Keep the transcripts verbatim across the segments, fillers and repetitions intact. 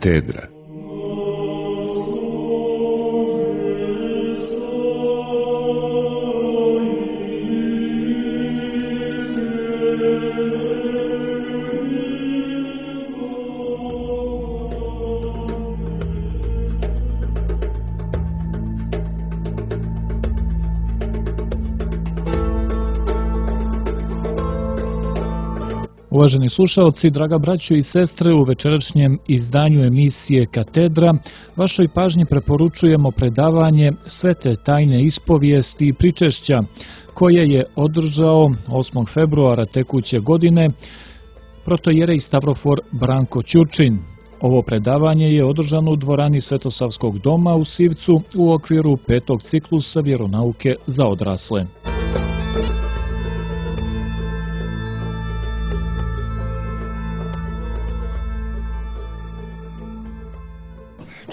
Katedra. Uvaženi slušalci, draga braćo i sestre, u večerašnjem izdanju emisije Katedra vašoj pažnji preporučujemo predavanje Svete tajne ispovijesti i pričešća koje je održao osmog februara tekuće godine protojerej Stavrofor Branko Ćurčin. Ovo predavanje je održano u dvorani Svetosavskog doma u Sivcu u okviru petog ciklusa vjeronauke za odrasle.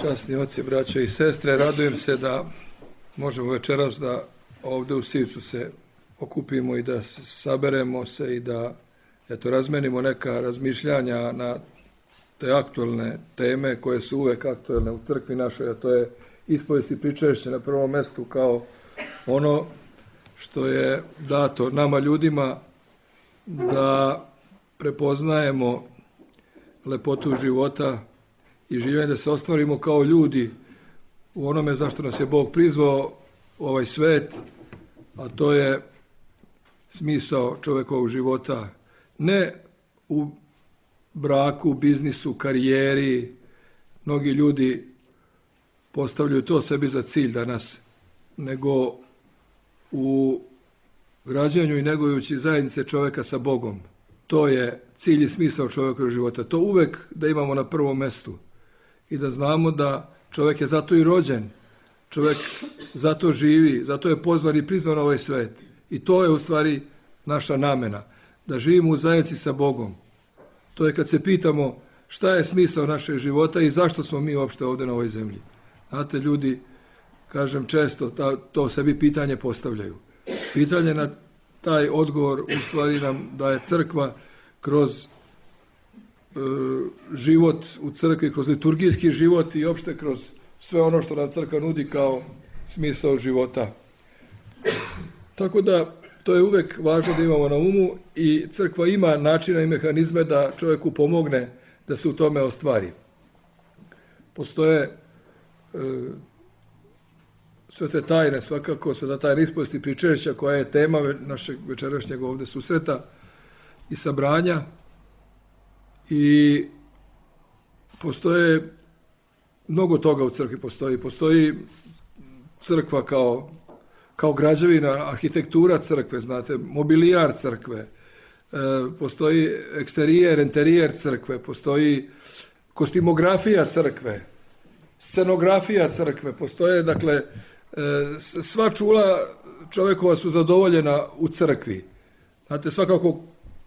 Časni oci, braće i sestre, radujem se da možemo večeras da ovdje u Sivcu se okupimo i da saberemo se i da eto, razmenimo neka razmišljanja na te aktualne teme koje su uvek aktualne u crkvi našoj, a to je ispovijest i pričešće na prvom mjestu kao ono što je dato nama ljudima da prepoznajemo lepotu života i življenje, da se ostvarimo kao ljudi u onome zašto nas je Bog prizvao u ovaj svet, a to je smisao čovjekovog života. Ne u braku, biznisu, karijeri. Mnogi ljudi postavljaju to sebi za cilj danas, nego u građanju i negujući zajednice čovjeka sa Bogom. To je cilj i smisao čovjekovog života. To uvek da imamo na prvom mjestu. I da znamo da čovjek je zato i rođen, čovjek zato živi, zato je pozvan i prizvan na ovaj svet. I to je u stvari naša namena, da živimo u zajednici sa Bogom. To je kad se pitamo šta je smisao našeg života i zašto smo mi uopšte ovdje na ovoj zemlji. Znate, ljudi, kažem često, ta, to sebi pitanje postavljaju. Pitanje na taj odgovor u stvari nam daje crkva kroz život u crkvi, kroz liturgijski život i opšte kroz sve ono što nam crkva nudi kao smisao života. Tako da to je uvek važno da imamo na umu i crkva ima načina i mehanizme da čovjeku pomogne da se u tome ostvari. Postoje e, sve te tajne, svakako sveta tajna ispovijesti i pričešća koja je tema našeg večerašnjeg ovdje susreta i sabranja. I postoje mnogo toga u crkvi postoji. Postoji crkva kao, kao građevina, arhitektura crkve, znate, mobilijar crkve, e, postoji eksterijer, interijer crkve, postoji kostimografija crkve, scenografija crkve, postoje, dakle, e, sva čula čovjekova su zadovoljena u crkvi. Znate, svakako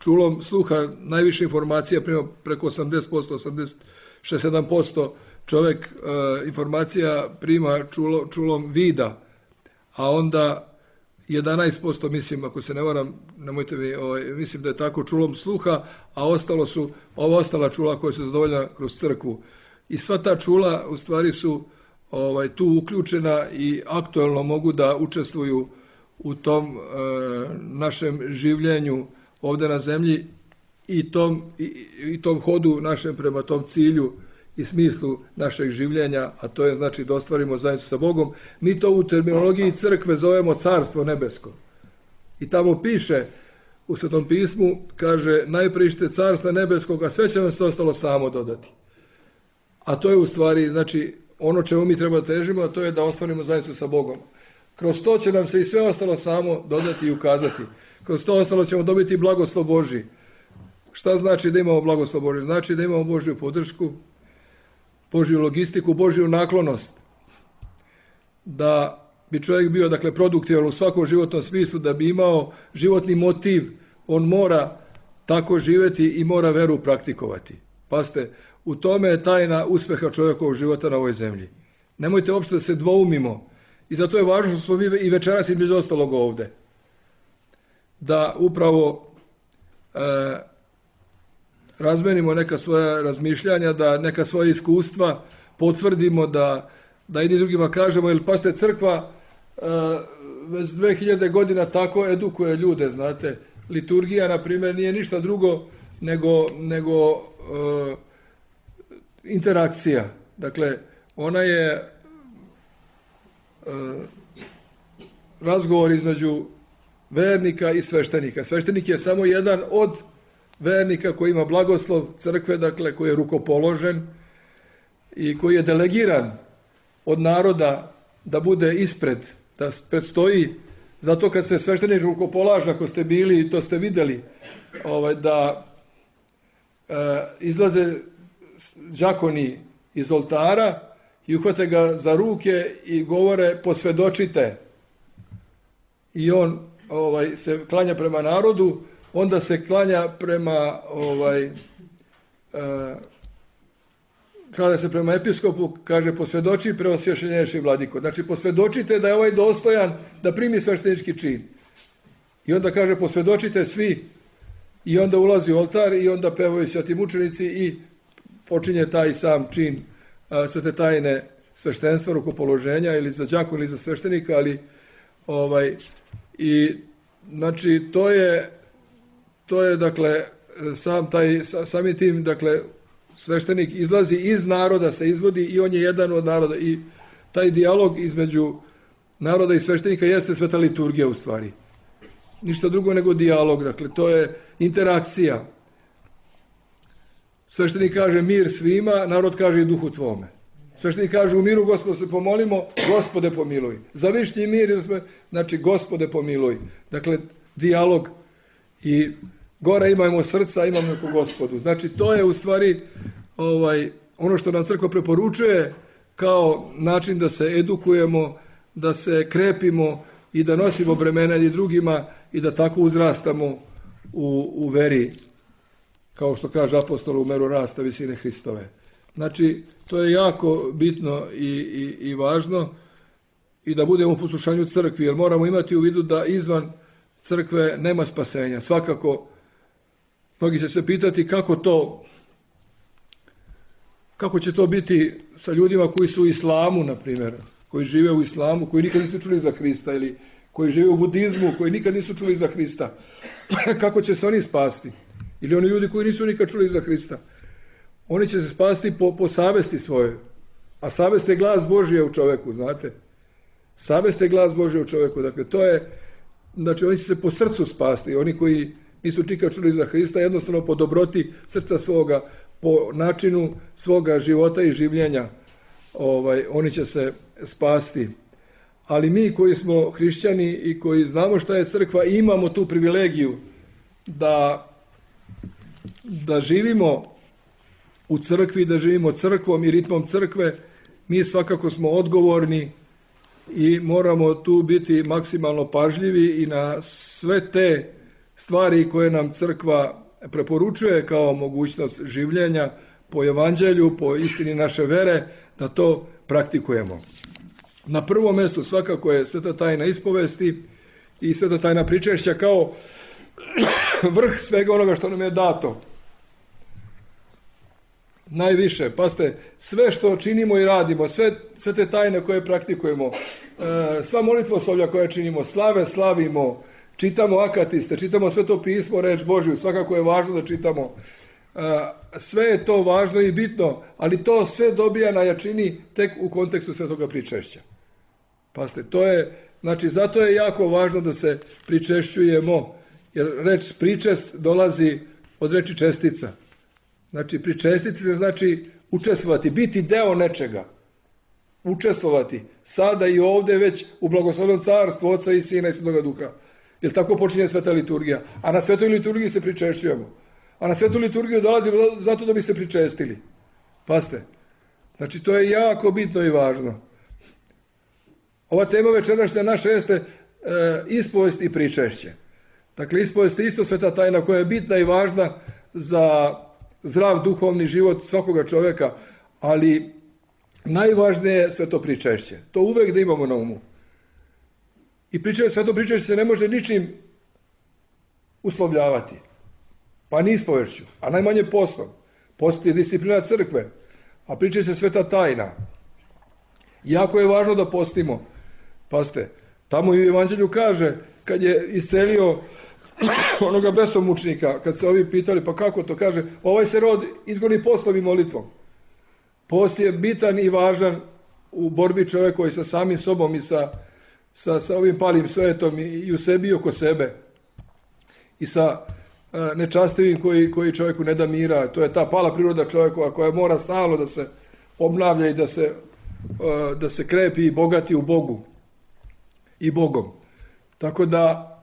čulom sluha najviše informacija, preko osamdeset posto, osamdeset šest sedam posto čovjek e, informacija prima čulo, čulom vida, a onda jedanaest posto, mislim, ako se ne varam, nemojte mi, ovaj, mislim da je tako, čulom sluha, a ostalo su ova ostala čula koja se zadovoljna kroz crkvu. I sva ta čula u stvari su ovaj, tu uključena i aktualno mogu da učestvuju u tom e, našem življenju ovdje na zemlji i tom, i, i tom hodu našem prema tom cilju i smislu našeg življenja, a to je znači da ostvarimo zajednicu sa Bogom. Mi to u terminologiji crkve zovemo Carstvo nebesko. I tamo piše u Svetom pismu, kaže, najprište Carstva nebeskog, a sve će nam se ostalo samo dodati. A to je u stvari, znači, ono čemu mi treba težimo, a to je da ostvarimo zajednicu sa Bogom. Kroz to će nam se i sve ostalo samo dodati i ukazati. Kroz to ostalo ćemo dobiti blagoslov Božji. Šta znači da imamo blagoslov Božji? Znači da imamo Božju podršku, Božju logistiku, Božju naklonost. Da bi čovjek bio, dakle, produktivan u svakom životnom smislu, da bi imao životni motiv, on mora tako živjeti i mora veru praktikovati. Pazite, u tome je tajna uspjeha čovjekovog života na ovoj zemlji. Nemojte uopšte da se dvoumimo. I zato je važno što smo mi i večeras između ostalog ovdje. Da upravo e, razmenimo neka svoja razmišljanja, da neka svoja iskustva potvrdimo, da, da jedni drugima kažemo, jer pa se crkva e, već dve hiljade godina tako edukuje ljude, znate. Liturgija, na primjer, nije ništa drugo nego, nego e, interakcija. Dakle, ona je e, razgovor između vernika i sveštenika. Sveštenik je samo jedan od vernika koji ima blagoslov crkve, dakle, koji je rukopoložen i koji je delegiran od naroda da bude ispred, da predstoji. Zato kad se sveštenik rukopolaže, ako ste bili i to ste vidjeli, ovaj, da e, izlaze đakoni iz oltara i uhvate ga za ruke i govore posvjedočite. I on ovaj, se klanja prema narodu, onda se klanja prema ovaj, e, kada se prema episkopu kaže posvjedoči preosvješenješi vladiko. Znači posvjedočite da je ovaj dostojan da primi sveštenički čin. I onda kaže posvjedočite svi i onda ulazi u oltar i onda pevaju sveti mučenici i počinje taj sam čin svete tajne sveštenstva, rukopoloženja ili za đakon ili za sveštenika, ali ovaj i znači to je to je dakle sam taj sami tim dakle sveštenik izlazi iz naroda, se izvodi i on je jedan od naroda i taj dijalog između naroda i sveštenika jeste sveta liturgija u stvari. Ništa drugo nego dijalog, dakle to je interakcija. Sveštenik kaže mir svima, narod kaže i duhu tvome. Sveštenik kaže u miru Gospodu se pomolimo, Gospode pomiluj. Za višnji mir, znači Gospode pomiluj. Dakle, dijalog i gore imamo srca, imamo neko Gospodu. Znači, to je u stvari ovaj, ono što nam crkva preporučuje kao način da se edukujemo, da se krepimo i da nosimo bremena i drugima i da tako uzrastamo u, u veri, kao što kaže apostol, u meru rasta visine Hristove. Znači, to je jako bitno i, i, i važno i da budemo u poslušanju crkvi, jer moramo imati u vidu da izvan crkve nema spasenja. Svakako, mnogi će se pitati kako to, kako će to biti sa ljudima koji su u islamu, na primjer, koji žive u islamu, koji nikad nisu čuli za Hrista, ili koji žive u budizmu, koji nikad nisu čuli za Hrista. Kako će se oni spasti? Ili oni ljudi koji nisu nikad čuli za Hrista? Oni će se spasti po, po savesti svojoj. A savest je glas Božije u čoveku, znate. Savest je glas Božije u čoveku. Dakle, to je, znači, oni će se po srcu spasti. Oni koji nisu nikad čuli za Hrista, jednostavno po dobroti srca svoga, po načinu svoga života i življenja, ovaj, oni će se spasti. Ali mi koji smo hrišćani i koji znamo šta je crkva, imamo tu privilegiju da, da živimo u crkvi, da živimo crkvom i ritmom crkve. Mi svakako smo odgovorni i moramo tu biti maksimalno pažljivi i na sve te stvari koje nam crkva preporučuje kao mogućnost življenja po evanđelju, po istini naše vere, da to praktikujemo. Na prvom mjestu svakako je sveta tajna ispovesti i sveta tajna pričešća kao vrh svega onoga što nam je dato. Najviše, pazite, sve što činimo i radimo, sve, sve te tajne koje praktikujemo, sva molitvoslovlja koje činimo, slave slavimo, čitamo akatiste, čitamo Sveto pismo, reč Božju, svakako je važno da čitamo. Sve je to važno i bitno, ali to sve dobija na jačini tek u kontekstu svetoga pričešća. Pazite, to je, znači, zato je jako važno da se pričešćujemo, jer reč pričest dolazi od reči čestica. Znači, pričestiti se znači učestvovati, biti deo nečega. Učestvovati. Sada i ovdje već u blagoslovnom carstvu Oca i Sina i Svetoga Duha. Jer tako počinje sveta liturgija. A na svetoj liturgiji se pričešćujemo. A na svetu liturgiju dolazimo zato da bi se pričestili. Pazite. Znači, to je jako bitno i važno. Ova tema večerašnja naša jeste e, ispovest i pričešće. Dakle, ispovest je isto sveta tajna koja je bitna i važna za zdrav duhovni život svakoga čovjeka, ali najvažnije je sveto pričešće. To uvek da imamo na umu. I pričešće, sveto pričešće se ne može ničim uslovljavati. pa ni ispovešću, a najmanje postom. Post je disciplina crkve, a priča se sveta tajna. Jako je važno da postimo. Pazite, tamo i u Evanđelju kaže, kad je iscelio onoga besomučnika, kad se ovi pitali, pa kako to kaže, ovaj se rod izgoni postom i molitvom. Post je bitan i važan u borbi čovjekovi sa samim sobom i sa, sa, sa ovim palim svetom i, i u sebi i oko sebe. I sa e, nečastivim koji, koji čovjeku ne da mira. To je ta pala priroda čovjekova koja mora stalno da se obnavlja i da se, e, da se krepi i bogati u Bogu i Bogom. Tako da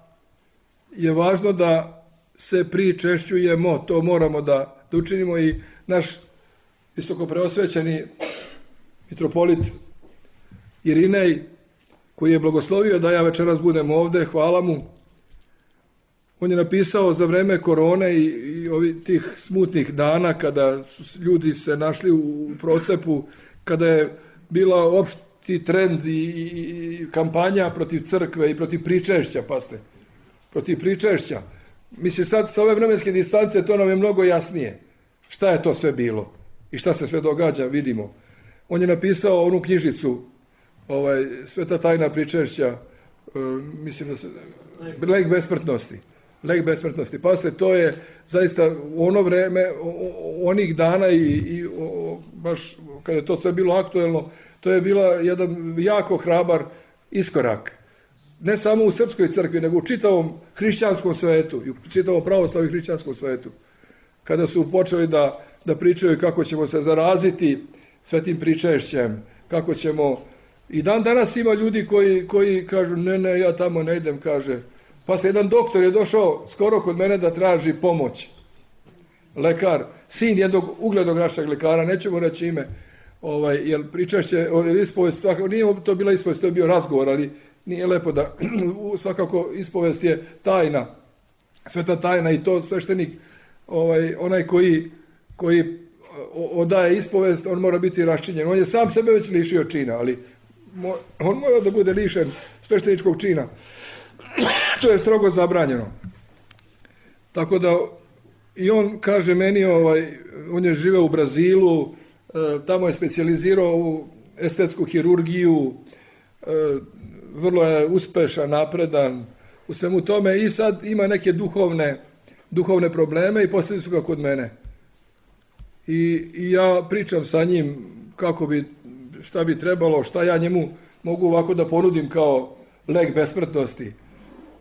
je važno da se pričešćujemo, to moramo da, da učinimo i naš visoko preosvećeni mitropolit Irinej, koji je blagoslovio da ja večeras budem ovde, hvala mu. On je napisao za vreme korone i, i ovi tih smutnih dana kada su ljudi se našli u procepu, kada je bila opšti trend i, i, i kampanja protiv crkve i protiv pričešća, paste, protiv pričešća. Mislim, sad sa ove vremenske distance to nam je mnogo jasnije. Šta je to sve bilo i šta se sve događa, vidimo. On je napisao onu knjižicu, ovaj, Sveta tajna pričešća, e, mislim da se, lek besmrtnosti. Lek besmrtnosti. Pa se to je zaista u ono vreme, onih dana i, i o, baš kada je to sve bilo aktuelno, to je bila jedan jako hrabar iskorak. Ne samo u srpskoj crkvi, nego u čitavom hrišćanskom svetu, i u čitavom pravoslavnom hrišćanskom svetu. Kada su počeli da, da pričaju kako ćemo se zaraziti svetim pričešćem, kako ćemo... I dan danas ima ljudi koji, koji kažu, ne, ne, ja tamo ne idem, kaže. Pa se jedan doktor je došao skoro kod mene da traži pomoć. Lekar, sin jednog uglednog našeg lekara, nećemo reći ime, ovaj, jer pričešće, ispovest, nije to bila ispovest, to je bio razgovor, ali nije lepo da, svakako ispovest je tajna, sveta tajna i to sveštenik, ovaj, onaj koji, koji odaje ispovest, on mora biti raščinjen. On je sam sebe već lišio čina, ali on mora da bude lišen svešteničkog čina. To je strogo zabranjeno. Tako da i on kaže meni, ovaj, on je živeo u Brazilu, tamo je specijalizirao u estetsku hirurgiju, vrlo je uspešan, napredan u svemu tome i sad ima neke duhovne, duhovne probleme i posljedili su ga kod mene. I, I ja pričam sa njim kako bi, šta bi trebalo, šta ja njemu mogu ovako da ponudim kao lek besmrtnosti.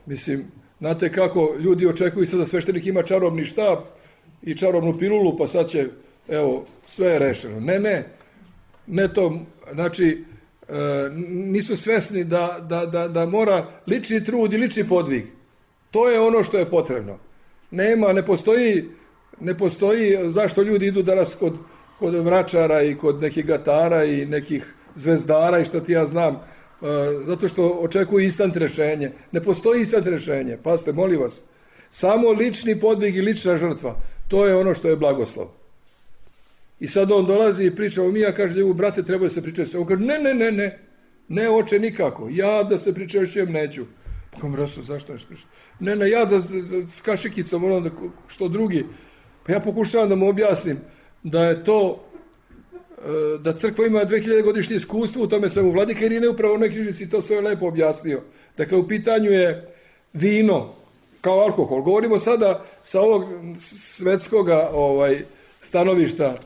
Mislim, znate kako ljudi očekuju sad da sveštenik ima čarobni štap i čarobnu pilulu, pa sad će, evo, sve je rešeno. Ne, ne, ne to, znači, e, nisu svesni da, da, da, da mora lični trud i lični podvig. To je ono što je potrebno. Nema, ne postoji, ne postoji zašto ljudi idu danas kod, kod vračara i kod nekih gatara i nekih zvezdara i što ti ja znam, zato što očekuju instant rešenje. Ne postoji instant rešenje. Pazite, molim vas. Samo lični podvig i lična žrtva. To je ono što je blagoslov. I sad on dolazi i priča o mi, ja kaže, brate, treba da se pričešćujem. On kaže, ne, ne, ne, ne. Ne, oče, nikako. Ja da se pričešćujem neću. Pa kom rasu, zašto ne pričešćujem? Ne, ne, ja da, da s kašikicom, ono da, što drugi. Pa ja pokušavam da mu objasnim da je to, da crkva ima dve hiljade godišnje iskustvo u tome svemu. Vladika Irinej upravo u nekoj knjižici to sve lepo objasnio. Dakle, u pitanju je vino kao alkohol. Govorimo sada sa ovog svetskog ovaj, stanovišta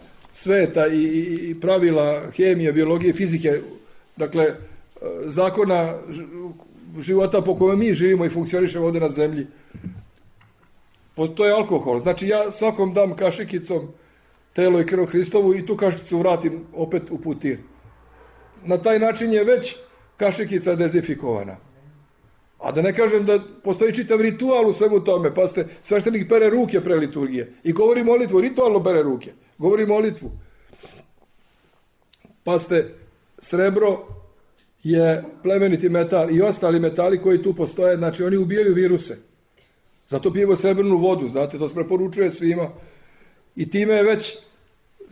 sveta i, i, i pravila hemije, biologije, fizike, dakle, zakona života po kojem mi živimo i funkcionišemo ovdje na zemlji. To je alkohol. Znači, ja svakom dam kašikicom telo i krv Hristovu i tu kašikicu vratim opet u putir. Na taj način je već kašikica dezinfikovana. A da ne kažem da postoji čitav ritual u svemu tome. Pa ste, sveštenik pere ruke pre liturgije i govori molitvu, ritualno pere ruke. Govori molitvu. Pa ste, srebro je plemeniti metal i ostali metali koji tu postoje, znači oni ubijaju viruse. Zato pijemo srebrnu vodu, znate, to se preporučuje svima. I time je već,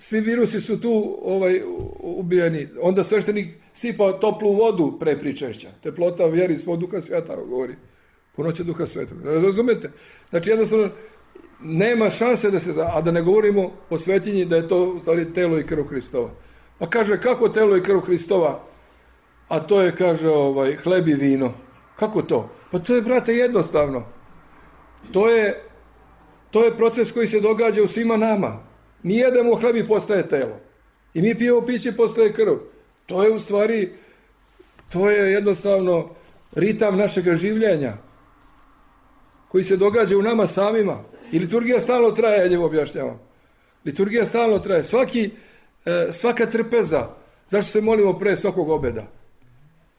svi virusi su tu ovaj, ubijeni. Onda sveštenik sipa toplu vodu pre pričešća. Teplota vjeri svog duha sveta, govori. Punoće duha sveta. Razumete? Znači, jednostavno, nema šanse da se, a da ne govorimo o svetinji da je to u stvari telo i krv Hristova. Pa kaže, kako telo i krv Hristova? A to je, kaže, ovaj, hleb i vino. Kako to? Pa to je, brate, jednostavno. To je, to je proces koji se događa u svima nama. Mi jedemo hleb i postaje telo. I mi pijemo piće i postaje krv. To je u stvari, to je jednostavno ritam našeg življenja koji se događa u nama samima. I liturgija stalno traje, ja njemu objašnjavam. Liturgija stalno traje. Svaki, e, svaka trpeza. Zašto se molimo pre svakog obeda?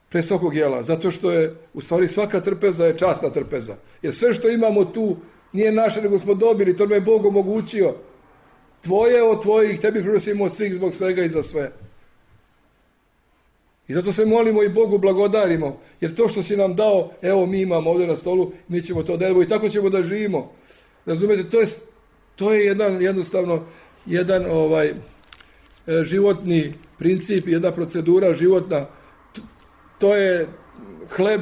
Pre svakog jela? Zato što je, u stvari, svaka trpeza je časna trpeza. Jer sve što imamo tu nije naše, nego smo dobili. To nam je Bog omogućio. Tvoje od tvojih, tebi prinosimo od svih zbog svega i za sve. I zato se molimo i Bogu blagodarimo. Jer to što si nam dao, evo mi imamo ovdje na stolu, mi ćemo to da evo i tako ćemo da živimo. Razumete, to je, to je jedan, jednostavno, jedan ovaj životni princip, jedna procedura životna. To je hleb,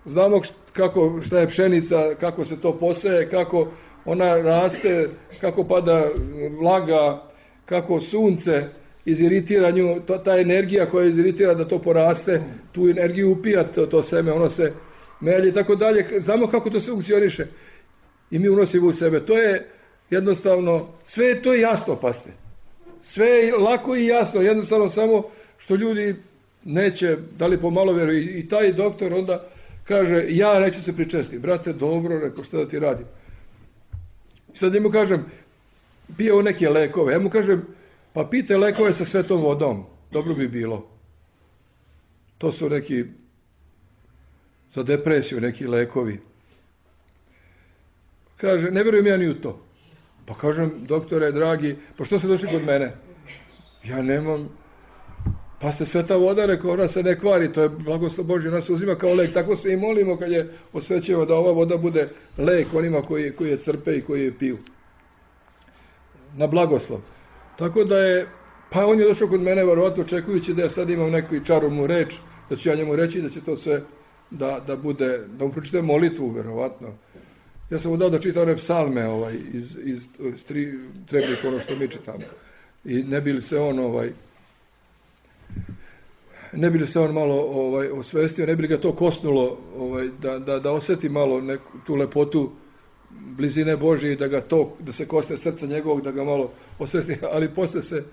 znamo kako, šta je pšenica, kako se to poseje, kako ona raste, kako pada vlaga, kako sunce iziritira nju, to, ta energija koja iziritira da to poraste, tu energiju upija to, to seme, ono se melje i tako dalje. Znamo kako to sve funkcioniše i mi unosimo u sebe. To je jednostavno, sve je to jasno, paste. Sve je lako i jasno, jednostavno samo što ljudi neće, da li pomalo vjeruju. I, i taj doktor onda kaže, ja neću se pričestiti. Brate, dobro, rekao, šta da ti radim? Sad ja mu kažem, pijeo neke lekove. Ja mu kažem, pa pite lekove sa svetom vodom. Dobro bi bilo. To su neki, za depresiju, neki lekovi. Kaže, ne vjerujem ja ni u to. Pa kažem, doktore, dragi, pa što ste došli kod mene? Ja nemam, pa ste sveta voda, rekao, ona se ne kvari, to je blagoslov Božji, ona se uzima kao lek. Tako se i molimo kad je osvećeno da ova voda bude lek onima koji, koji je crpe i koji je piju. Na blagoslov. Tako da je, pa on je došao kod mene, verovatno očekujući da ja sad imam neku čarobnu reč, da ću ja njemu reći da će to sve, da, da bude, da mu pročitam molitvu, verovatno. Ja sam mu dao da čita one psalme ovaj, iz, iz, iz tri, trebnih, ono što mi čitamo. I ne bi li se on ovaj, ne bi li se on malo ovaj, osvestio, ne bi li ga to kosnulo ovaj, da, da, da osjeti malo neku, tu lepotu blizine Božje i da ga to, da se kosne srca njegovog, da ga malo osvesti, ali posle se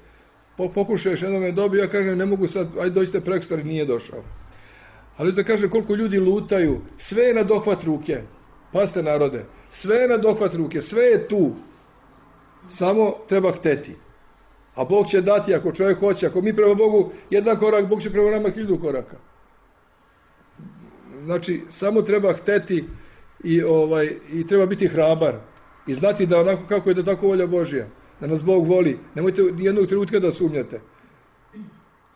po, pokušao još jednom je dobio, ja kažem, ne mogu sad, ajde dođite prekstor, nije došao. Ali da kažem koliko ljudi lutaju, sve je na dohvat ruke, pazite narode, sve je na dohvat ruke, sve je tu, samo treba hteti. A Bog će dati ako čovjek hoće, ako mi prema Bogu jedan korak, Bog će prema nama hiljadu koraka. Znači, samo treba hteti i, ovaj, i treba biti hrabar i znati da onako kako je da tako volja Božja, da nas Bog voli. Nemojte nijednog trenutka da sumnjate.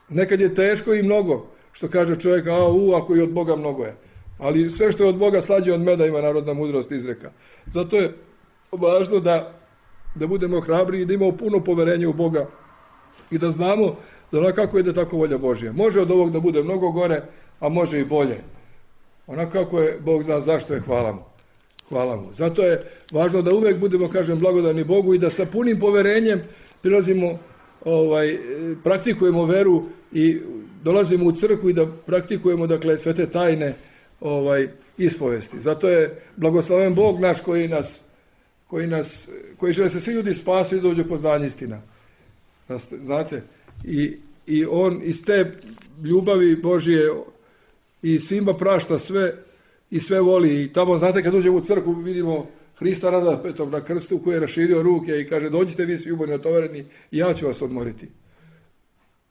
Nekad je teško i mnogo, što kaže čovjek, a u, ako i od Boga mnogo je. Ali sve što je od Boga slađe od meda, ima narodna mudrost izreka. Zato je važno da, da budemo hrabri i da imamo puno poverenja u Boga i da znamo da onako kako je da tako volja Božja. Može od ovog da bude mnogo gore, a može i bolje. Onako kako je Bog zna zašto je, hvala mu. Hvala mu. Zato je važno da uvek budemo, kažem, blagodani Bogu i da sa punim poverenjem prilazimo, ovaj, praktikujemo veru i dolazimo u crkvu i da praktikujemo, dakle, sve te tajne ovaj, ispovesti. Zato je blagosloven Bog naš koji nas, koji nas, koji žele se svi ljudi spasi i dođu poznanje istina. Znate? I, i on iz te ljubavi Božje i svima prašta sve i sve voli. I tamo, znate, kad uđemo u crkvu vidimo Hrista Raspetog na krstu koji je raširio ruke i kaže, dođite vi svi umorni, natovareni i ja ću vas odmoriti.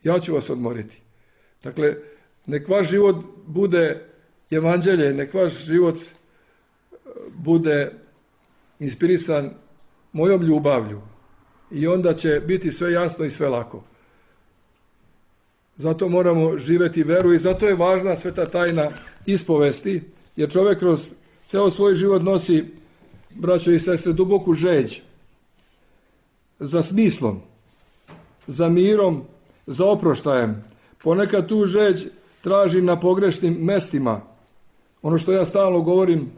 Ja ću vas odmoriti. Dakle, nek vaš život bude evanđelje, nek vaš život bude inspirisan mojom ljubavlju i onda će biti sve jasno i sve lako. Zato moramo živjeti veru i zato je važna sveta tajna ispovesti, jer čovjek kroz ceo svoj život nosi, braćo i sestre, duboku žeđ za smislom, za mirom, za oproštajem. Ponekad tu žeđ tražim na pogrešnim mestima. Ono što ja stalno govorim,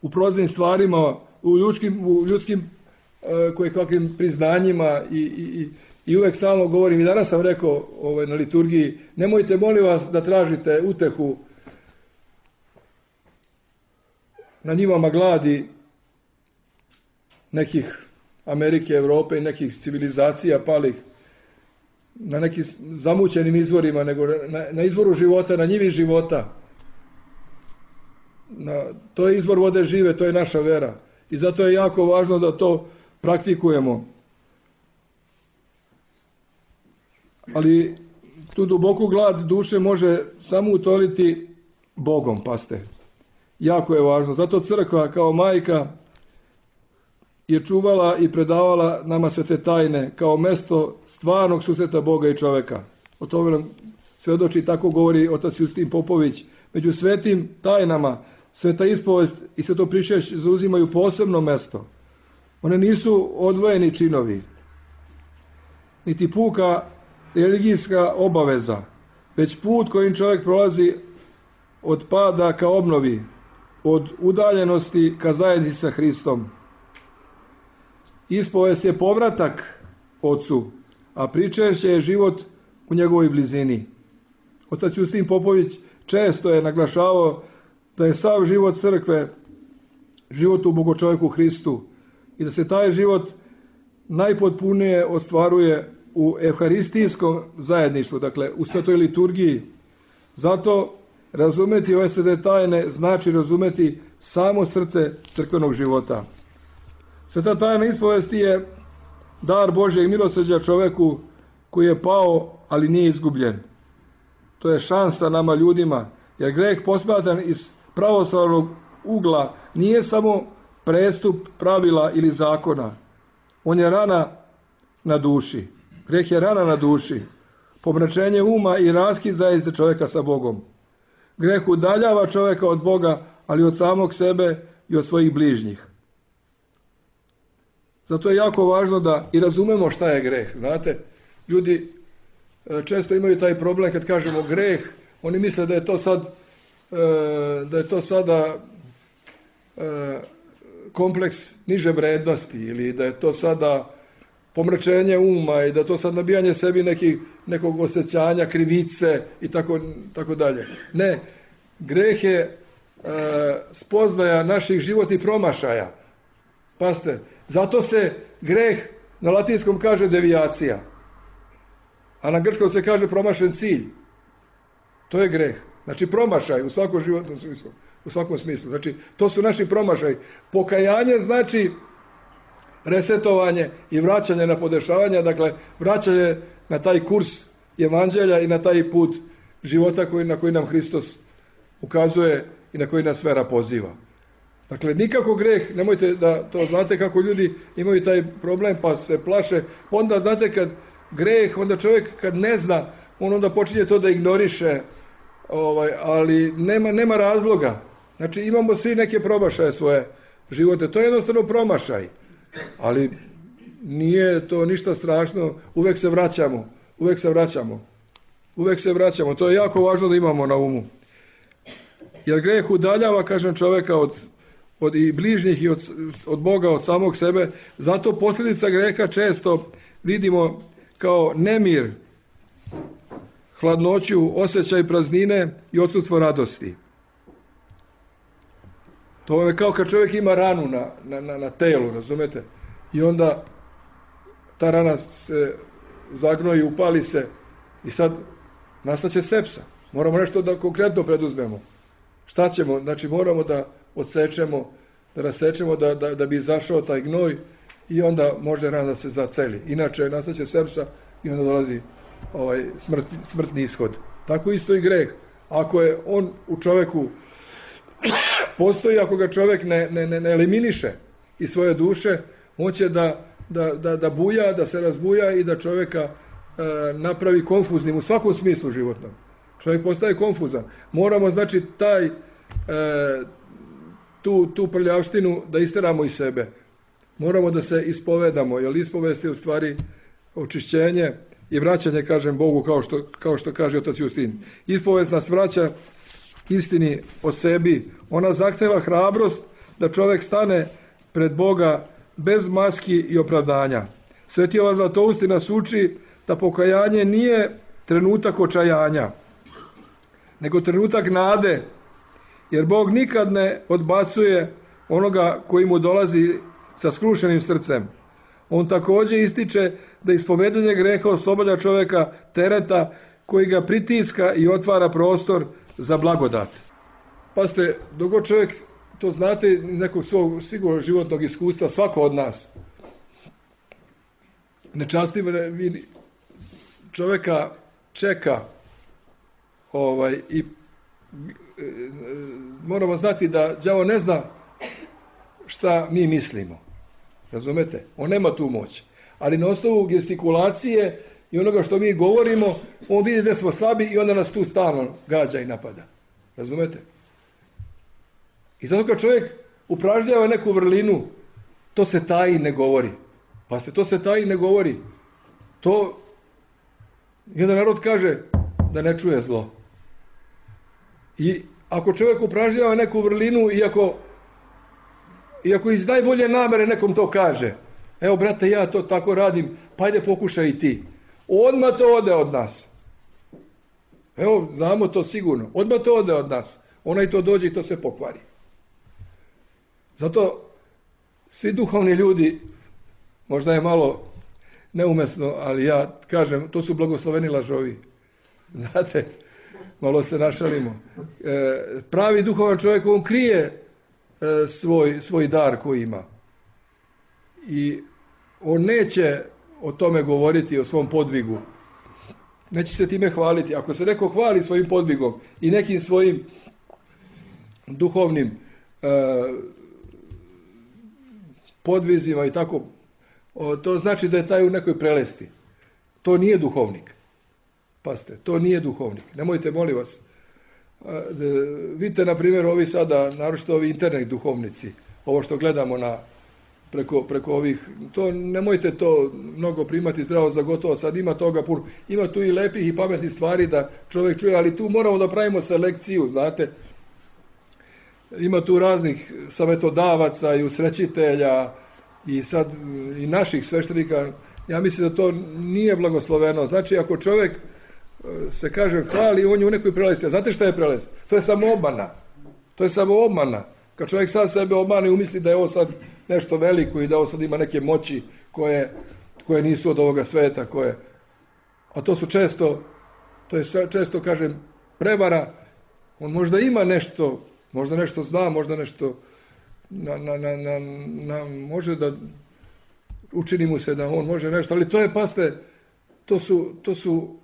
u proznim stvarima, u ljudskim, u ljudskim uh, kojekakvim priznanjima i, i, i uvek stalno govorim, i danas sam rekao ovaj, na liturgiji, nemojte molim vas da tražite utehu na njivama gladi nekih Amerike, Evrope i nekih civilizacija palih, na nekim zamućenim izvorima, nego na, na izvoru života, na njivi života. Na, to je izvor vode žive, to je naša vera. I zato je jako važno da to praktikujemo. Ali tu duboku glad duše može samo utoliti Bogom, paste. Jako je važno. Zato crkva kao majka je čuvala i predavala nama sve te tajne kao mesto stvarnog susreta Boga i čoveka. O tome nam svedoči, tako govori otac Justin Popović. Među svetim tajnama sveta ispovest i sveto pričešće zauzimaju posebno mesto. One nisu odvojeni činovi, niti puka religijska obaveza, već put kojim čovjek prolazi od pada ka obnovi, od udaljenosti ka zajednici sa Hristom. Ispovest je povratak Otcu, a pričešće je život u njegovoj blizini. Otac Justin Popović često je naglašavao da je sav život crkve život u Bogočovjeku Hristu i da se taj život najpotpunije ostvaruje u evharistijskom zajedništvu, dakle u svetoj liturgiji. Zato razumeti ove svete tajne znači razumeti samo srce crkvenog života. Sveta tajna ispovesti je dar Božjeg milosrđa čoveku koji je pao, ali nije izgubljen. To je šansa nama ljudima, jer greh posmatran iz pravoslavnog ugla nije samo prestup pravila ili zakona. On je rana na duši. Greh je rana na duši. Pomračenje uma i raskid zajednice čovjeka sa Bogom. Greh udaljava čovjeka od Boga, ali od samog sebe i od svojih bližnjih. Zato je jako važno da i razumemo šta je greh. Znate, ljudi često imaju taj problem kad kažemo greh, oni misle da je to sad da je to sada kompleks niže vrednosti ili da je to sada pomračenje uma i da je to sad nabijanje sebi nekih, nekog osjećanja, krivice i tako, tako dalje. Ne, greh je e, spoznaja naših životnih promašaja. Pazite, zato se greh na latinskom kaže devijacija, a na grčkom se kaže promašen cilj. To je greh. Znači promašaj u svakom životnom smislu. U svakom smislu. Znači, to su naši promašaj. Pokajanje znači resetovanje i vraćanje na podešavanje, dakle, vraćanje na taj kurs evanđelja i na taj put života koji, na koji nam Hristos ukazuje i na koji nas vera poziva. Dakle, nikako greh, nemojte da to znate kako ljudi imaju taj problem pa se plaše. Onda, znate, kad greh, onda čovjek kad ne zna, on onda počinje to da ignoriše, ovaj, ali nema, nema razloga. Znači, imamo svi neke promašaje svoje živote. To je jednostavno promašaj. Ali nije to ništa strašno. Uvek se vraćamo. Uvek se vraćamo. Uvek se vraćamo. To je jako važno da imamo na umu. Jer greh udaljava, kažem, čoveka od, od i bližnjih i od, od Boga, od samog sebe. Zato posljedica greha često vidimo kao nemir, hladnoću, osjećaj praznine i odsustvo radosti. To je kao kad čovjek ima ranu na, na, na, na telu, razumete? I onda ta rana se zagnoji, upali se i sad nastaće sepsa. Moramo nešto da konkretno preduzmemo. Šta ćemo? Znači moramo da odsečemo, da rasečemo da, da, da bi izašao taj gnoj i onda može rana da se zaceli. Inače nastaće sepsa i onda dolazi ovaj smrt, smrtni ishod. Tako isto i greh. Ako je on u čoveku postoji, ako ga čovjek ne, ne, ne eliminiše iz svoje duše, on će da, da, da, da buja, da se razbuja i da čovjeka e, napravi konfuznim u svakom smislu životnom. Čovjek postaje konfuzan. Moramo, znači, taj, e, tu, tu prljavštinu da isteramo iz sebe. Moramo da se ispovedamo, jer ispovest je u stvari očišćenje i vraćanje, kažem, Bogu, kao što, kao što kaže otac Justin. Ispovest nas vraća istini o sebi. Ona zahteva hrabrost da čovjek stane pred Boga bez maski i opravdanja. Sveti Jovan Zlatousti nas uči da pokajanje nije trenutak očajanja, nego trenutak nade, jer Bog nikad ne odbacuje onoga koji mu dolazi sa skrušenim srcem. On također ističe da ispovedanje greha oslobađa čovjeka tereta koji ga pritiska i otvara prostor za blagodat. Pa ste, dok god čovjek, to znate iz nekog svog sigurno životnog iskustva, svako od nas, nečastiv čovjeka čeka ovaj, i e, moramo znati da đavo ne zna šta mi mislimo. Razumete? On nema tu moć. Ali na osnovu gestikulacije i onoga što mi govorimo, on vidi da smo slabi i onda nas tu stalno gađa i napada. Razumete? I zato kad čovjek upražnjava neku vrlinu, to se taji ne govori. Pa se to se taji ne govori. To jedan narod kaže da ne čuje zlo. I ako čovjek upražnjava neku vrlinu, iako iako iz najbolje namere nekom to kaže, evo brate, ja to tako radim, pa ajde pokušaj i ti. Odmah to ode od nas. Evo, znamo to sigurno. Odmah to ode od nas. Onaj to dođe i to se pokvari. Zato svi duhovni ljudi, možda je malo neumesno, ali ja kažem, to su blagosloveni lažovi. Znate, malo se našalimo. E, pravi duhovan čovjek, on krije e, svoj, svoj dar koji ima. I on neće o tome govoriti, o svom podvigu. Neće se time hvaliti. Ako se neko hvali svojim podvigom i nekim svojim duhovnim e, podvizima i tako, o, to znači da je taj u nekoj prelesti. To nije duhovnik. Pazite, to nije duhovnik. Nemojte, molim vas. E, vidite, na primjer, ovi sada, naročito ovi internet duhovnici, ovo što gledamo na Preko, preko ovih, to nemojte to mnogo primati zdravo za gotovo, sad ima toga puno, ima tu i lepih i pametnih stvari da čovjek čuje, ali tu moramo da pravimo selekciju, znate, ima tu raznih savjetodavaca i usrećitelja i sad i naših sveštenika, ja mislim da to nije blagosloveno, znači ako čovjek se kaže hvali, on je u nekoj prelesti, znate šta je prelest? To je samo obmana, to je samo obmana. Kad čovjek sam sebe obmane i umisli da je ovo sad nešto veliko i da ovo sad ima neke moći koje, koje nisu od ovoga sveta, koje, a to su često, to je često, kažem, prevara. On možda ima nešto, možda nešto zna, možda nešto na, na, na, na, na, može da učini mu se da on može nešto, ali to je, paste, to su, to su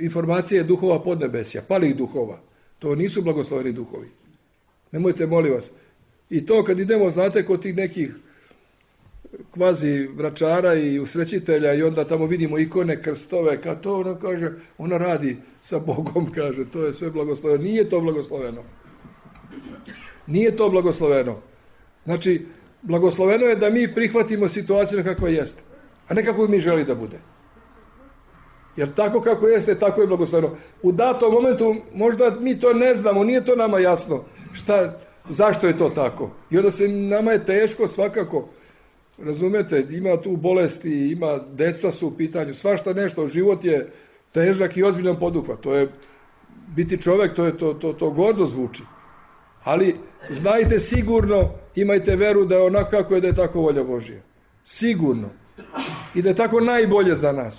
informacije duhova podnebesja, palih duhova. To nisu blagosloveni duhovi. Nemojte, molim vas. I to kad idemo, znate, kod tih nekih kvazi vračara i usrećitelja i onda tamo vidimo ikone, krstove, kad to ona kaže, ona radi sa Bogom, kaže, to je sve blagosloveno. Nije to blagosloveno. Nije to blagosloveno. Znači, blagosloveno je da mi prihvatimo situaciju kakva jeste, a ne kako mi želi da bude. Jer tako kako jeste, tako je blagosloveno. U datom momentu možda mi to ne znamo, nije to nama jasno. Šta, zašto je to tako? I onda se nama je teško svakako. Razumete, ima tu bolesti, ima deca su u pitanju, svašta nešto, život je težak i ozbiljan poduhvat. To je biti čovjek, to je to, to, to gordo zvuči. Ali znajte sigurno, imajte veru da je onako kako je, da je tako volja Božja. Sigurno. I da je tako najbolje za nas.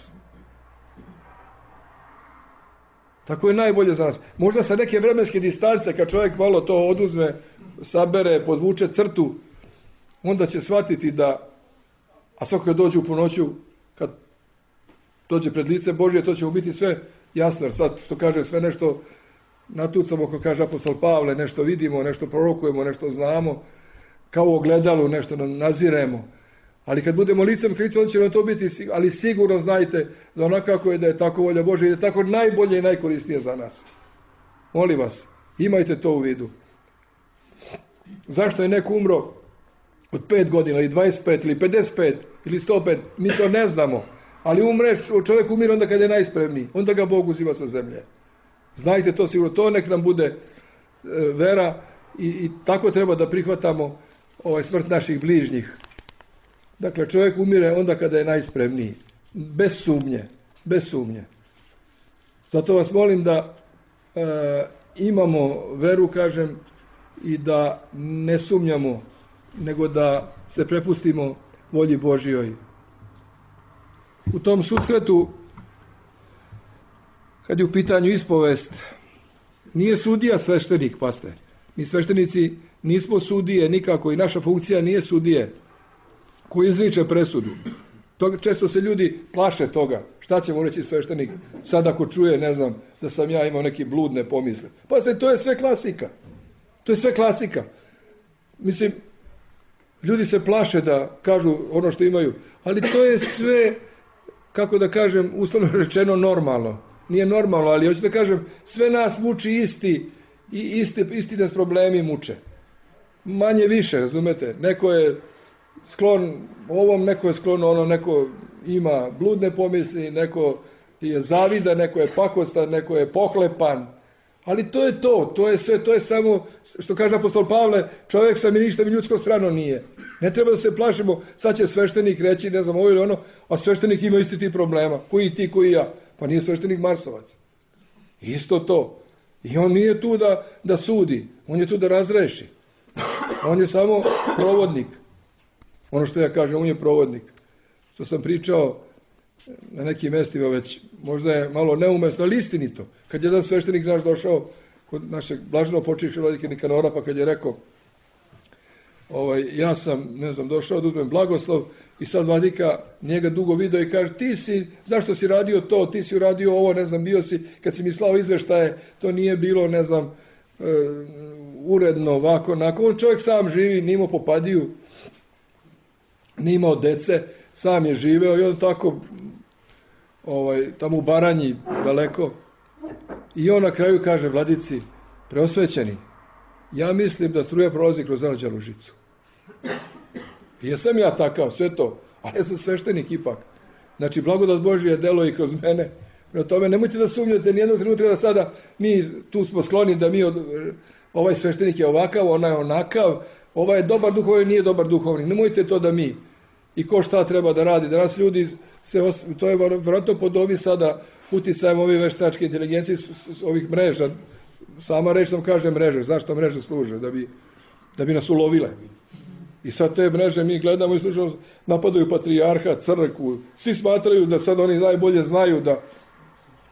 Tako je najbolje za nas. Možda sa neke vremenske distance, kad čovjek malo to oduzme, sabere, podvuče crtu, onda će shvatiti da, a svako kad dođe u ponoću, kad dođe pred lice Božje, to će mu biti sve jasno. Jer sad, što kaže, sve nešto natucamo, kako kaže apostol Pavle, nešto vidimo, nešto prorokujemo, nešto znamo, kao u ogledalu, nešto naziremo. Ali kad budemo licem Hrista, onda će nam to biti, ali sigurno znajte da onako kako je, da je tako volja Božja i da je tako najbolje i najkorisnije za nas. Molim vas, imajte to u vidu. Zašto je neko umro od pet godina, ili dvadeset pet, ili pedeset pet, ili sto pet, mi to ne znamo. Ali umre, čovjek umire onda kad je najspremniji, onda ga Bog uzima sa zemlje. Znajte to sigurno, to nek nam bude e, vera i, i tako treba da prihvatamo ovaj, smrt naših bližnjih. Dakle, čovjek umire onda kada je najspremniji. Bez sumnje. Bez sumnje. Zato vas molim da e, imamo veru, kažem, i da ne sumnjamo, nego da se prepustimo volji Božjoj. U tom susretu, kad je u pitanju ispovest, nije sudija sveštenik, paste. Mi sveštenici nismo sudije nikako i naša funkcija nije sudije koji izriče presudu. To, često se ljudi plaše toga. Šta će mu reći sveštenik sad ako čuje, ne znam, da sam ja imao neki bludne pomisle. Pa se, to je sve klasika. To je sve klasika. Mislim, ljudi se plaše da kažu ono što imaju, ali to je sve, kako da kažem, uslovno rečeno normalno. Nije normalno, ali hoću da kažem, sve nas muči isti i isti, isti nas problemi muče. Manje više, razumete? Neko je sklon ovom, neko je sklon ono, neko ima bludne pomisli, neko je zavida, neko je pakostan, neko je pohlepan. Ali to je to, to je sve, to je samo, što kaže apostol Pavle, čovjek sam i ništa mi ljudsko strano nije. Ne treba da se plašimo, sad će sveštenik reći, ne znam, ovo ili ono, a sveštenik ima isti ti problema, koji ti, koji ja. Pa nije sveštenik Marsovac. Isto to. I on nije tu da, da sudi, on je tu da razreši. On je samo provodnik. Ono što ja kažem, on je provodnik. Što sam pričao na nekim mestima već, možda je malo neumesno, ali istinito. Kad je jedan sveštenik naš došao kod našeg blaženo počivšeg vladike Nikanora, pa kad je rekao, ovaj, ja sam, ne znam, došao da uzmem blagoslov i sad vladika njega dugo video i kaže, ti si, zašto si radio to, ti si uradio ovo, ne znam, bio si, kad si mi slao izveštaje, to nije bilo, ne znam, e, uredno, ovako, onako. On čovjek sam živi, nije imao popadiju, nije imao dece, sam je živeo i on tako, ovaj, tamo u Baranji, daleko. I on na kraju kaže vladici, preosvećeni, ja mislim da struja prolazi kroz Anđelovu žicu. I jesam ja takav, sve to, ali ja sam sveštenik ipak. Znači, blagodat Božja delo i kroz mene. Prema tome, nemojte da sumnjate nijednog trenutka da sada mi tu smo skloni da mi, od, ovaj sveštenik je ovakav, ona je onakav, ovaj je dobar duhovni, nije dobar duhovni. Nemojte to da mi. I ko šta treba da radi. Danas ljudi, se os, to je vjerojatno podobi sada uticajem ove veštačke inteligencije s ovih mreža. Sama reč nam kaže mreže. Zašto mreže služe? Da bi, da bi nas ulovile. I sad te mreže mi gledamo i slušamo, napadaju patrijarha, crkvu. Svi smatraju da sad oni najbolje znaju da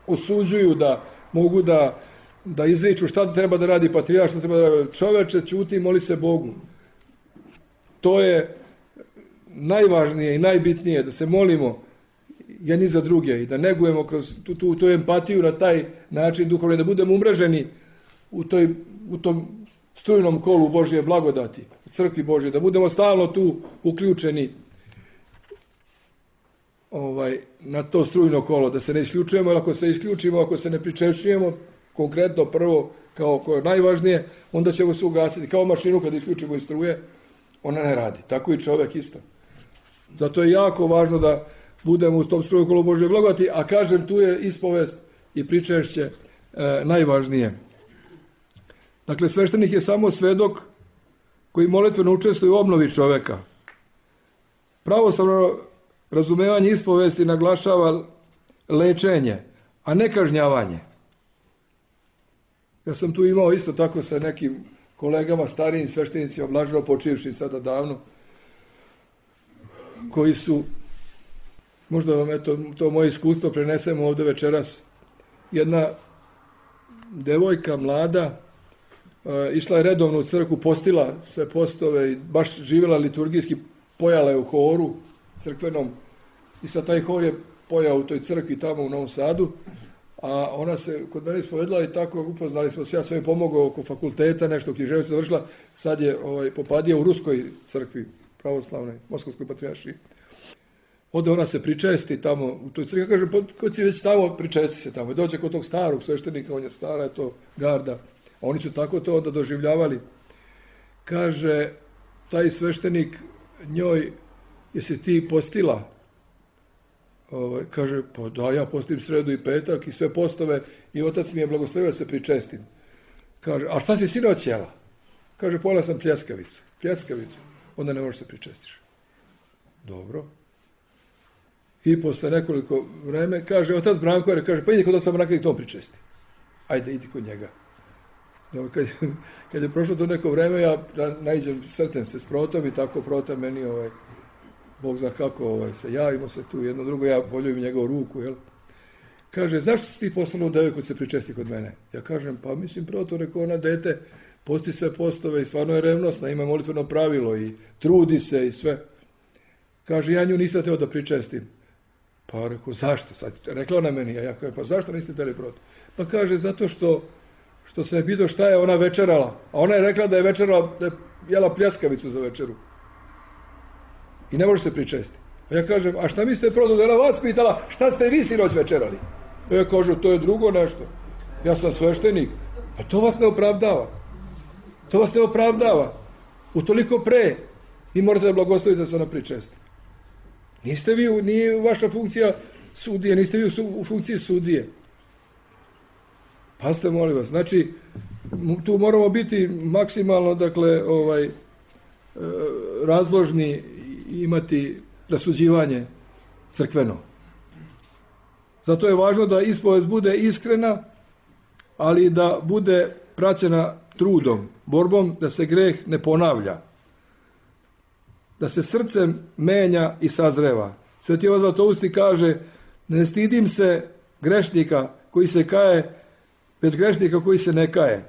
osuđuju, da mogu da, da izriču šta treba da radi patrijarh, šta treba da radi. Čoveče, ćuti i moli se Bogu. To je najvažnije i najbitnije, da se molimo jedni za druge i da negujemo kroz tu, tu, tu empatiju na taj način duhovni, da budemo umreženi u, toj, u tom strujnom kolu Božje blagodati, crkvi Božje, da budemo stalno tu uključeni ovaj, na to strujno kolo, da se ne isključujemo, jer ako se isključimo, ako se ne pričešćujemo, konkretno prvo, kao koje je najvažnije, onda ćemo se ugasiti. Kao mašinu kad isključimo iz struje, ona ne radi. Tako i čovjek isto. Zato je jako važno da budemo u tom strujnom kolu Božje blagodati, a kažem, tu je ispovest i pričešće e, najvažnije. Dakle, sveštenik je samo svedok koji molitveno učestvuje u obnovi čoveka. Pravoslavno razumevanje ispovesti naglašava lečenje, a ne kažnjavanje. Ja sam tu imao isto tako sa nekim kolegama, starijim sveštenicima, blaženo počivši sada davno, koji su, možda vam eto, to moje iskustvo prenesemo ovdje večeras, jedna devojka mlada, išla je redovno u crkvu, postila sve postove i baš živjela liturgijski, pojala je u horu crkvenom i sad taj hor je pojao u toj crkvi tamo u Novom Sadu, a ona se kod mene ispovedla i tako upoznali smo se, ja sam joj pomogao oko fakulteta, nešto književnost završila, sad je ovaj, popadija u Ruskoj crkvi, pravoslavnoj, Moskovskoj patrijaršiji. Onda ona se pričesti tamo u toj crkvi, kaže, ko ti već tamo, pričesti se tamo, dođe kod tog starog sveštenika, on je stara, je to garda. Oni su tako to onda doživljavali. Kaže, taj sveštenik njoj, jesi ti postila? Ovaj, kaže, pa da, ja postim sredu i petak i sve postove i otac mi je blagoslovio da se pričestim. Kaže, a šta si sinoć jela? Kaže, pojela sam pljeskavicu. Pljeskavicu. onda ne možeš se pričestiš. Dobro. I posle nekoliko vreme kaže, otac Branko, kaže, pa idi kod oca Branka i to pričesti. Ajde, idi kod njega. Dobro, kad, kad je prošlo to neko vreme, ja naiđem, sretnem se s Protom i tako Prota meni, ovaj, Bog zna kako, ovaj, se javimo se tu jedno drugo, ja voljujim njegovu ruku, jel? Kaže, zašto si ti poslao devojku se pričesti kod mene? Ja kažem, pa mislim, Proto, rekao ona, dete, posti sve postove i stvarno je revnosna, ima molitveno pravilo i trudi se i sve. Kaže, ja nju nisam teo da pričestim. Pa rekao, zašto? Sad, rekla ona meni, a ja kažem, pa zašto niste teli Proto? Pa kaže, zato što što se je pitao šta je ona večerala. A ona je rekla da je večerala, da je jela pljeskavicu za večeru. I ne može se pričesti. A ja kažem, a šta mislite Proto, da je ona vas pitala, šta ste vi sinoć večerali? A ja kažem, to je drugo nešto. Ja sam sveštenik. A to vas ne opravdava. To vas ne opravdava. Utoliko pre vi morate da blagoslovite da se ona pričesti. Niste vi, nije vaša funkcija sudije, niste vi u funkciji sudije. Pazite, molim vas, znači, tu moramo biti maksimalno, dakle, ovaj, razložni i imati rasuđivanje crkveno. Zato je važno da ispovest bude iskrena, ali da bude praćena trudom, borbom, da se greh ne ponavlja. Da se srcem menja i sazreva. Sveti Jovan Zlatousti kaže, ne stidim se grešnika koji se kaje, već grešnika koji se ne kaje.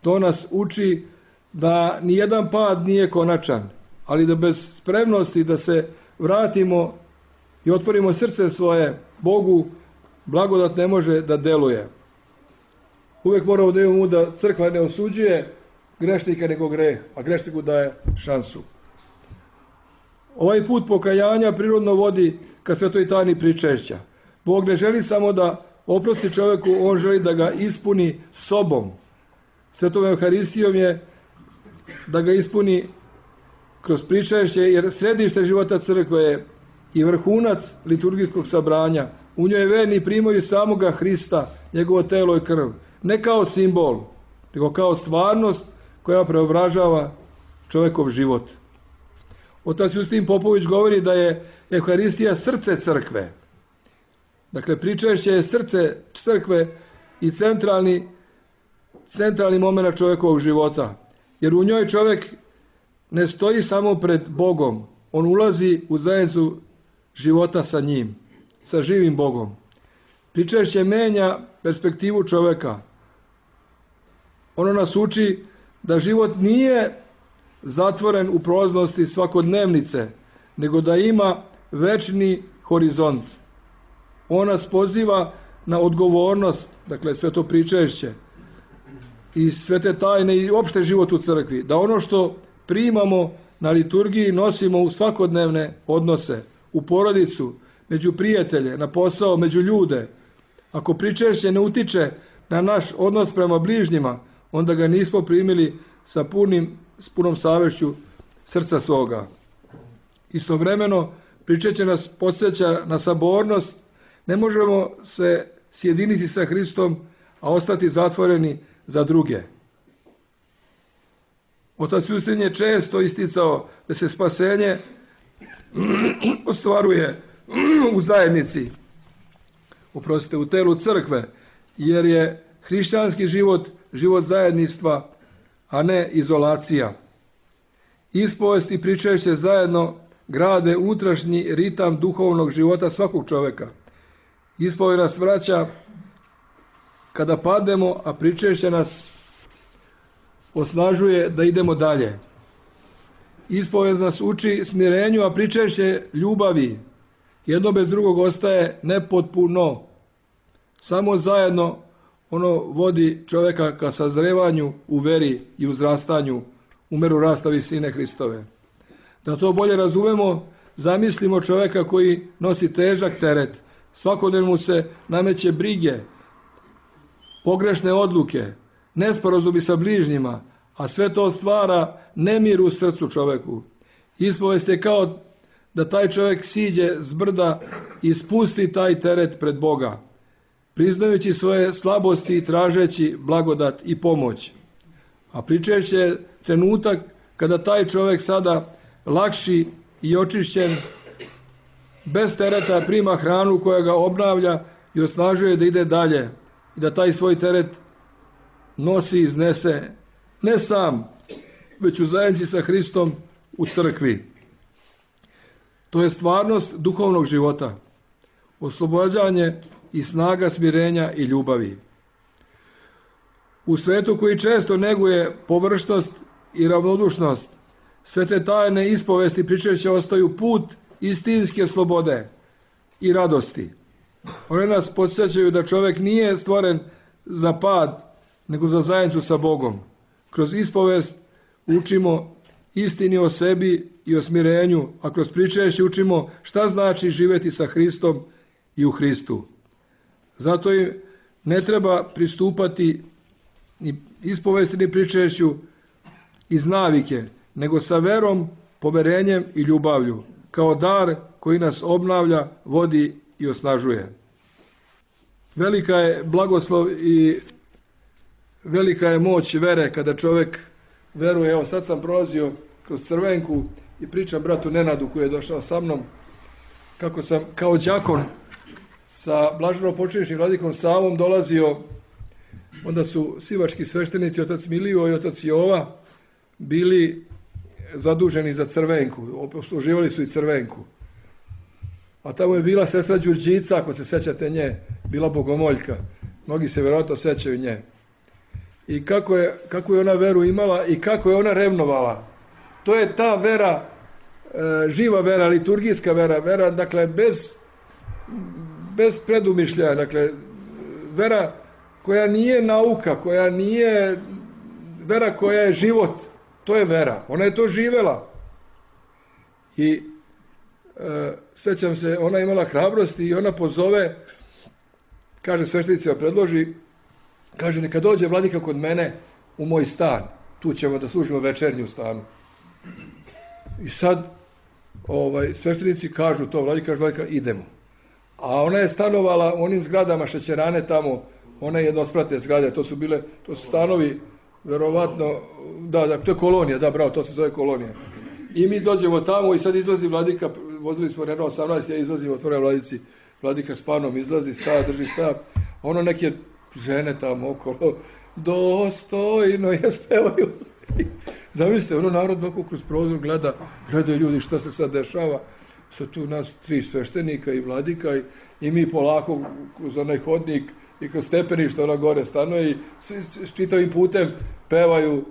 To nas uči da nijedan pad nije konačan, ali da bez spremnosti da se vratimo i otvorimo srce svoje Bogu, blagodat ne može da deluje. Uvijek moramo da imamo da crkva ne osuđuje grešnika nego greh, a grešniku daje šansu. Ovaj put pokajanja prirodno vodi ka svetoj tajni pričešća. Bog ne želi samo da oprosti čovjeku, on želi da ga ispuni sobom. Svetom Euharistijom je da ga ispuni kroz pričešće, jer središte života crkve je i vrhunac liturgijskog sabranja. U njoj verni primaju samoga Hrista, njegovo telo i krv. Ne kao simbol, nego kao stvarnost koja preobražava čovjekov život. Otac Justin Popović govori da je Euharistija srce crkve. Dakle, pričešće je srce crkve i centralni, centralni moment čovjekovog života. Jer u njoj čovjek ne stoji samo pred Bogom. On ulazi u zajednicu života sa njim, sa živim Bogom. Pričešće menja perspektivu čovjeka. Ono nas uči da život nije zatvoren u prolaznosti svakodnevnice, nego da ima večni horizont. On nas poziva na odgovornost, dakle sve to pričešće i sve te tajne i opšte život u crkvi, da ono što primamo na liturgiji nosimo u svakodnevne odnose, u porodicu, među prijatelje, na posao, među ljude. Ako pričešće ne utiče na naš odnos prema bližnjima, onda ga nismo primili sa punim, s punom savješću srca svoga. Istovremeno, pričešće nas podsjeća na sabornost. Ne možemo se sjediniti sa Hristom, a ostati zatvoreni za druge. Otac Justin je često isticao da se spasenje ostvaruje u zajednici, oprostite, u telu crkve, jer je hrišćanski život život zajedništva, a ne izolacija. Ispovest i pričešće zajedno grade unutrašnji ritam duhovnog života svakog čovjeka. Ispovest nas vraća kada pademo, a pričešće nas osnažuje da idemo dalje. Ispovest nas uči smirenju, a pričešće ljubavi. Jedno bez drugog ostaje nepotpuno. Samo zajedno ono vodi čovjeka ka sazrevanju u veri i uzrastanju u meru rasta visine Hristove. Da to bolje razumemo, zamislimo čovjeka koji nosi težak teret. Svakodnevno mu se nameće brige, pogrešne odluke, nesporazumi sa bližnjima, a sve to stvara nemir u srcu čovjeku. Ispovest je kao da taj čovjek siđe s brda i spusti taj teret pred Boga, priznajući svoje slabosti i tražeći blagodat i pomoć. A pričešće je trenutak kada taj čovjek sada lakši i očišćen, bez tereta prima hranu koja ga obnavlja i osnažuje da ide dalje i da taj svoj teret nosi i iznese ne sam, već u zajednici sa Hristom u crkvi. To je stvarnost duhovnog života, oslobođanje i snaga smirenja i ljubavi. U svetu koji često neguje površnost i ravnodušnost, sve te tajne ispovesti pričešća ostaju put istinske slobode i radosti. One nas podsjećaju da čovjek nije stvoren za pad, nego za zajednicu sa Bogom. Kroz ispovest učimo istini o sebi i o smirenju, a kroz pričešće učimo šta znači živjeti sa Hristom i u Hristu. Zato im ne treba pristupati ni ispovesti ni pričešću iz navike, nego sa verom, poverenjem i ljubavlju, kao dar koji nas obnavlja, vodi i osnažuje. Velika je blagoslov i velika je moć vere kada čovjek veruje. Evo sad sam prolazio kroz Crvenku i pričam bratu Nenadu koji je došao sa mnom kako sam kao đakon sa blaženopočivšim vladikom Savom dolazio. Onda su sivački sveštenici, otac Milio i otac Jova, bili zaduženi za Crvenku, obsluživali su i Crvenku. A tamo je bila sestra Đurđica, ako se sećate nje, bila bogomoljka. Mnogi se vjerojatno sećaju nje. I kako je, kako je ona veru imala i kako je ona revnovala. To je ta vera, e, živa vera, liturgijska vera, vera, dakle, bez, bez predumišljaja, dakle, vera koja nije nauka, koja nije vera koja je život, to je vera. Ona je to živela. I e, sećam se, ona je imala hrabrosti i ona pozove, kaže sveštenica, predloži, kaže, neka dođe vladika kod mene u moj stan, tu ćemo da služimo večernju stanu. I sad ovaj, sveštenici kažu to, vladika kaže, vladika, idemo. A ona je stanovala u onim zgradama šećerane tamo, one jednosprate zgrade, to su bile, to su stanovi, verovatno, da, da, to je kolonija, da, bravo, to se zove kolonija. I mi dođemo tamo i sad izlazi vladika, vozili smo Renault osamnaest, ja izlazim, otvore vladici, vladika s panom izlazi, stav, drži stav, ono neke žene tamo okolo, dostojno je spevaju. Zamislite, ono narod oko kroz prozor gleda, gledaju ljudi šta se sad dešava, sad tu nas tri sveštenika i vladika i, i mi polako kroz onaj hodnik i kroz stepeništa ona gore stanuje i s čitavim putem pevaju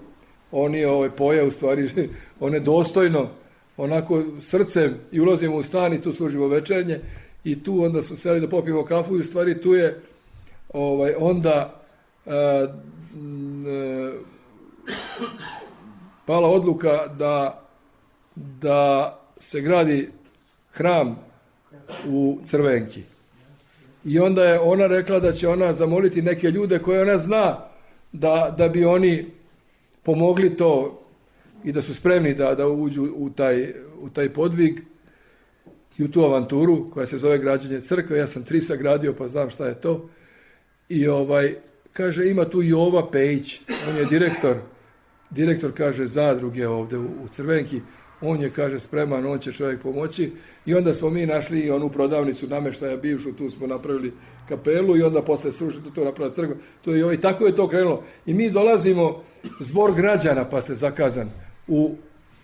oni ovaj, poje u stvari, one dostojno, onako srcem i ulazimo u stan i tu služimo večernje i tu onda su seli da popijemo kafu i u stvari tu je ovaj, onda a, a, pala odluka da, da se gradi hram u Crvenki. I onda je ona rekla da će ona zamoliti neke ljude koje ona zna da, da bi oni pomogli to i da su spremni da, da uđu u taj, u taj podvig i u tu avanturu koja se zove građenje crkve. Ja sam tri sagradio pa znam šta je to. I ovaj, kaže, ima tu Jova Pejić, on je direktor, direktor kaže zadruge ovde u, u Crvenki, on je, kaže, spreman, on će čovjek pomoći i onda smo mi našli i onu prodavnicu nameštaja bivšu, tu smo napravili kapelu i onda posle sušiti to napravili crkva. To je, i tako je to krenulo. I mi dolazimo, zbor građana pa se zakazan, u,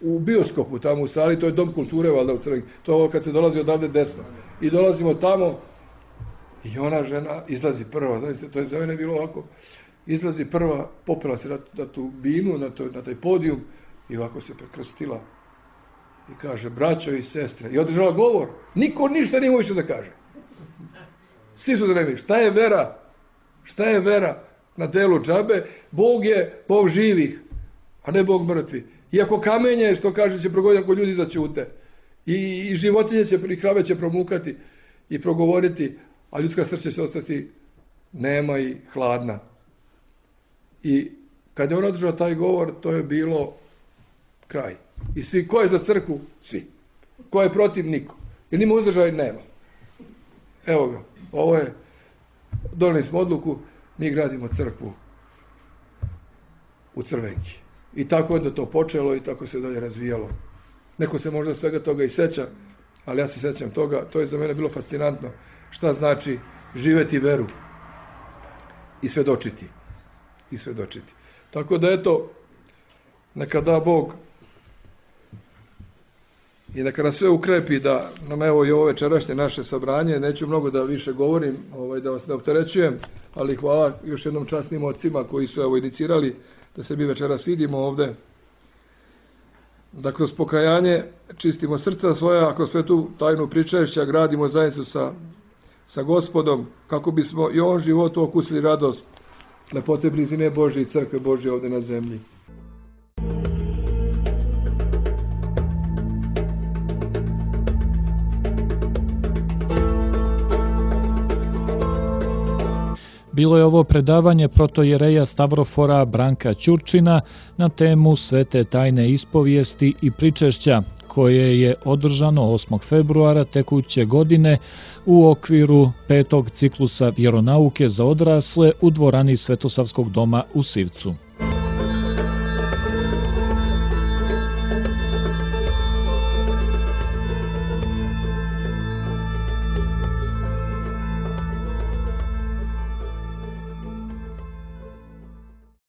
u bioskopu tamo u sali, to je dom kulture valjda u Crvenki, to je ovo kad se dolazi odavde desno. I dolazimo tamo i ona žena izlazi prva, znači, to je za mene bilo ovako, izlazi prva, popela se na, na tu binu, na, to, na taj podijum i ovako se prekrstila. I kaže, braćo i sestre, i održala govor. Niko ništa nije moći da kaže. Svi su da ne vidi. Šta je vera? Šta je vera na delu džabe? Bog je Bog živih, a ne Bog mrtvi. Iako kamenje, što kaže, će progoditi ako ljudi začute. I, i životinje će, i krave će promukati i progovoriti, a ljudska srce će ostati nema i hladna. I kad je on održao taj govor, to je bilo kraj. I svi, ko je za crkvu? Svi. Ko je protiv? Niko. Jer nima uzdržaj? Nema. Evo ga. Ovo je, doneli smo odluku, mi gradimo crkvu u Crvenki. I tako je da to počelo i tako se dalje razvijalo. Neko se možda svega toga i seća, ali ja se sećam toga, to je za mene bilo fascinantno. Šta znači živeti veru i svedočiti. I svedočiti. Tako da eto, neka da Bog i neka nas sve ukrepi da nam evo i ovo večerašnje naše sabranje, neću mnogo da više govorim, ovaj, da vas ne opterećujem, ali hvala još jednom časnim ocima koji su evo inicirali da se mi večeras vidimo ovde, da kroz pokajanje čistimo srca svoja, ako sve tu tajnu pričašća gradimo zajednicu sa, sa Gospodom, kako bismo i ovom životu okusili radost lepote blizine Božje i crkve Božje ovde na zemlji. Bilo je ovo predavanje protojereja Stavrofora Branka Ćurčina na temu Svete tajne ispovijesti i pričešća, koje je održano osmog februara tekuće godine u okviru petog ciklusa vjeronauke za odrasle u dvorani Svetosavskog doma u Sivcu.